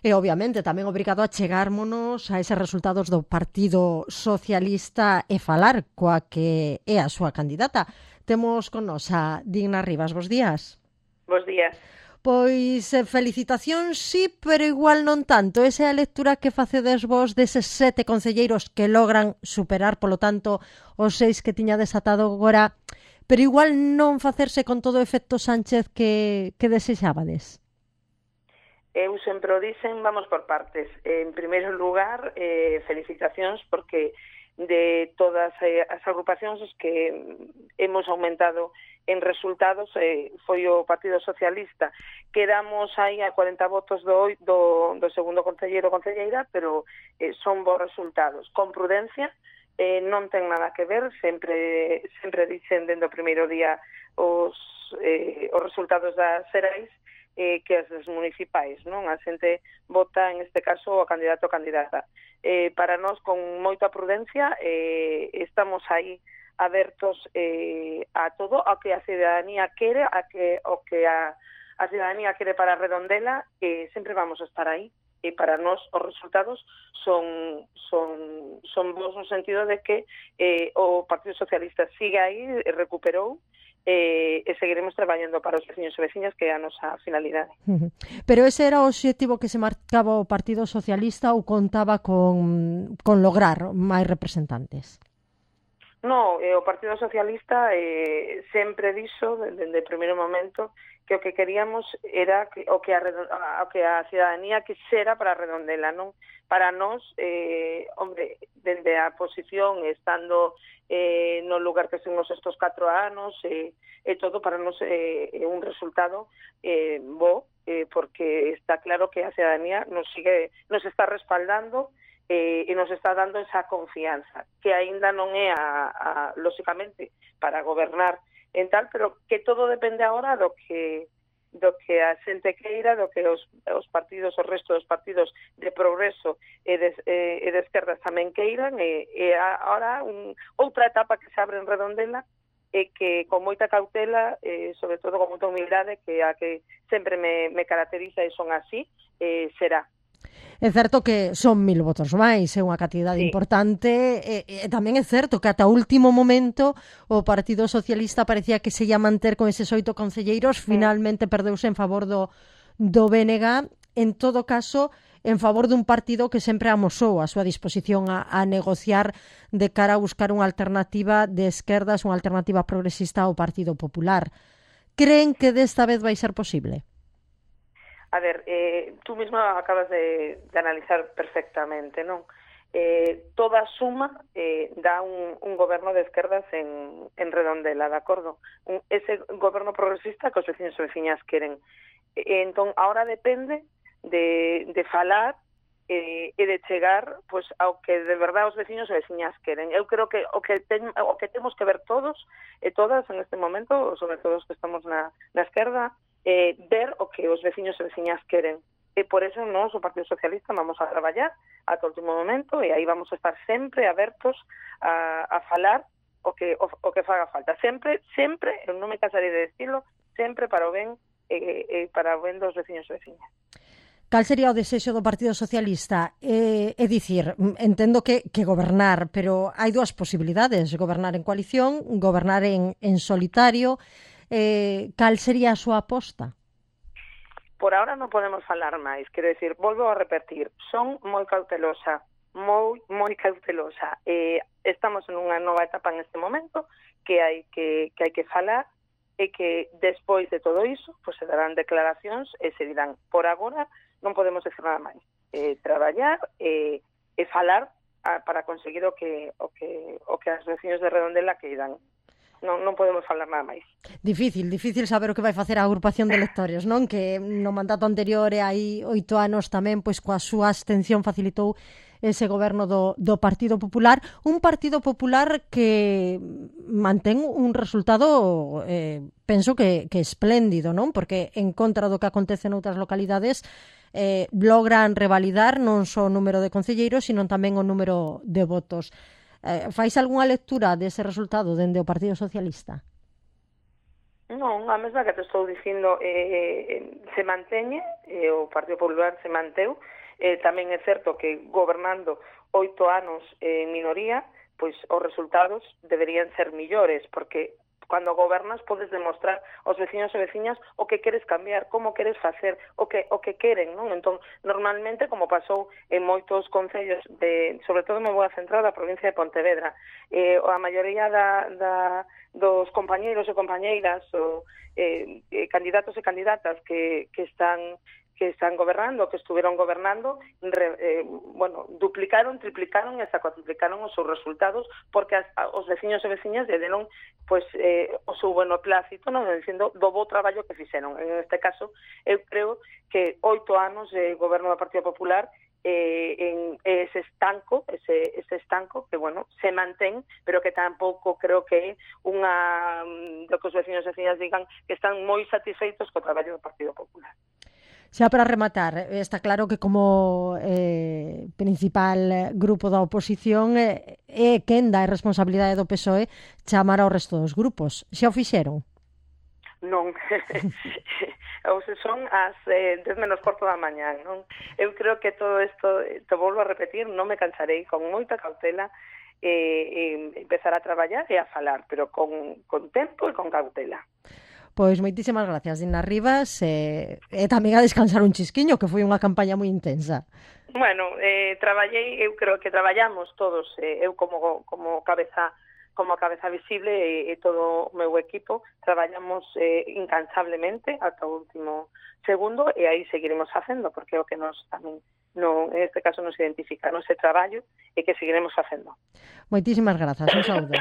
E, obviamente, tamén obrigado a chegármonos a eses resultados do Partido Socialista e falar coa que é a súa candidata. Temos con nos a Digna Rivas. Bos días. Bos días. Pois felicitacións, sí, pero igual non tanto. Esa é a lectura que facedes vos deses 7 concelleiros que logran superar, polo tanto, os 6 que tiña desatado agora, pero igual non facerse con todo o efecto Sánchez que desexábades. Eu sempre o dicen, vamos por partes. En primeiro lugar, felicitacións porque de todas as agrupacións que hemos aumentado en resultados foi o Partido Socialista. Quedamos aí a 40 votos do segundo concelleiro ou concelleira, pero son bons resultados. Con prudencia, non ten nada que ver, sempre dicen dende o primeiro día os resultados das xerais que as municipais, non? A xente vota, en este caso, o candidato ou candidata. Para nós, con moita prudencia, estamos aí abertos a todo, ao que a cidadanía quere, o que a cidadanía quere para Redondela, sempre vamos a estar aí. E para nós os resultados son bons no sentido de que o Partido Socialista sigue aí, recuperou, e seguiremos traballando para os veciños e veciñas, que é a nosa finalidade. Pero ese era o obxectivo que se marcaba o Partido Socialista ou contaba con lograr máis representantes? No, o Partido Socialista sempre dixo, dende o primeiro momento, que o que queríamos era o que a cidadanía quixera para Redondela, non? Para nós, dende a posición, estando no lugar que estuvimos estos 4 anos, e todo para nós é un resultado bo, porque está claro que a cidadanía nos está respaldando e nos está dando esa confianza, que aínda non é lóxicamente para gobernar en tal, pero que todo depende agora do que a xente queira, do que os partidos, o resto dos partidos de progreso e de esquerdas tamén queiran, e agora outra etapa que se abre en Redondela, e que con moita cautela, sobre todo con moita humildade, que a que sempre me caracteriza e son así, será. É certo que son 1000 votos máis, é unha cantidade importante, e tamén é certo que ata o último momento o Partido Socialista parecía que se ia manter con eses 8 concelleiros, finalmente perdeuse en favor do BNG, en todo caso, en favor dun partido que sempre amosou a súa disposición a negociar de cara a buscar unha alternativa de esquerdas, unha alternativa progresista ao Partido Popular. Creen que desta vez vai ser posible? A ver, tú mesma acabas de analizar perfectamente, non? Toda suma dá un goberno de esquerdas en Redondela, de acordo? Ese goberno progresista que os veciños e veciñas queren. Entón, ahora depende de falar e de chegar pois ao que de verdade os veciños e veciñas queren. Eu creo que o que temos que ver todos e todas en este momento, sobre todo os que estamos na esquerda, ver o que os veciños e veciñas queren. E por eso nós, o Partido Socialista, vamos a traballar ata o último momento, e aí vamos a estar sempre abertos a falar o que faga falta. Sempre, eu non me cansarei de decirlo, sempre para o ben para o ben dos veciños e veciñas. Cal sería o desexo do Partido Socialista? É dicir, entendo que gobernar, pero hai dúas posibilidades, gobernar en coalición, gobernar en solitario. Cal sería a súa aposta? Por ahora non podemos falar máis, quero decir, volvo a repetir, son moi cautelosa, moi cautelosa. Estamos en unha nova etapa en este momento que hai que falar, e que despois de todo iso pues se darán declaracións e se dirán. Por agora non podemos decir nada máis. Traballar e falar para conseguir o que as veciños de Redondela queiran. Non podemos falar nada máis. Difícil saber o que vai facer a agrupación de electores, non? Que no mandato anterior e hai 8 anos tamén, pois coa súa abstención facilitou ese goberno do Partido Popular, un Partido Popular que mantén un resultado penso que espléndido, non? Porque en contra do que acontece noutras localidades logran revalidar non só o número de concelleiros, sino tamén o número de votos. Fais algunha lectura dese resultado dende o Partido Socialista? Non, a mesma que te estou dicindo se manteñe, o Partido Popular se manteu, tamén é certo que gobernando 8 anos en minoría, pois os resultados deberían ser millores, porque cando gobernas podes demostrar aos veciños e veciñas o que queres cambiar, como queres facer, o que queren, non? Entón, normalmente, como pasou en moitos concellos, sobre todo me vou a centrar da provincia de Pontevedra, a maioría dos compañeiros e compañeiras, candidatos e candidatas que están gobernando, que estuveron gobernando, duplicaron, triplicaron e hasta cuatriplicaron os seus resultados, porque os veciños e veciñas lle deron o seu beneplácito, non, dicindo do bo traballo que fixeron. En este caso, eu creo que 8 anos de goberno do Partido Popular en ese estanco que, se mantén, pero que tampouco creo que é do que os veciños e veciñas digan que están moi satisfeitos co traballo do Partido Popular. Xa para rematar, está claro que como principal grupo da oposición é quen dá a responsabilidade do PSOE chamar ao resto dos grupos. Xa o fixeron? Non, son as 10 menos cuarto da mañá, non? Eu creo que todo isto, te volvo a repetir, non me cansarei, con moita cautela, empezar a traballar e a falar, pero con tempo e con cautela. Pois moitísimas gracias, Dina Rivas, e tamén a descansar un chisquiño, que foi unha campaña moi intensa. Bueno, eu creo que traballamos todos, eu como cabeza visible e todo o meu equipo, traballamos incansablemente ata o último segundo e aí seguiremos facendo, porque é o que nos tamén en este caso nos identifica no ese traballo e que seguiremos facendo. Moitísimas grazas, un saúdo.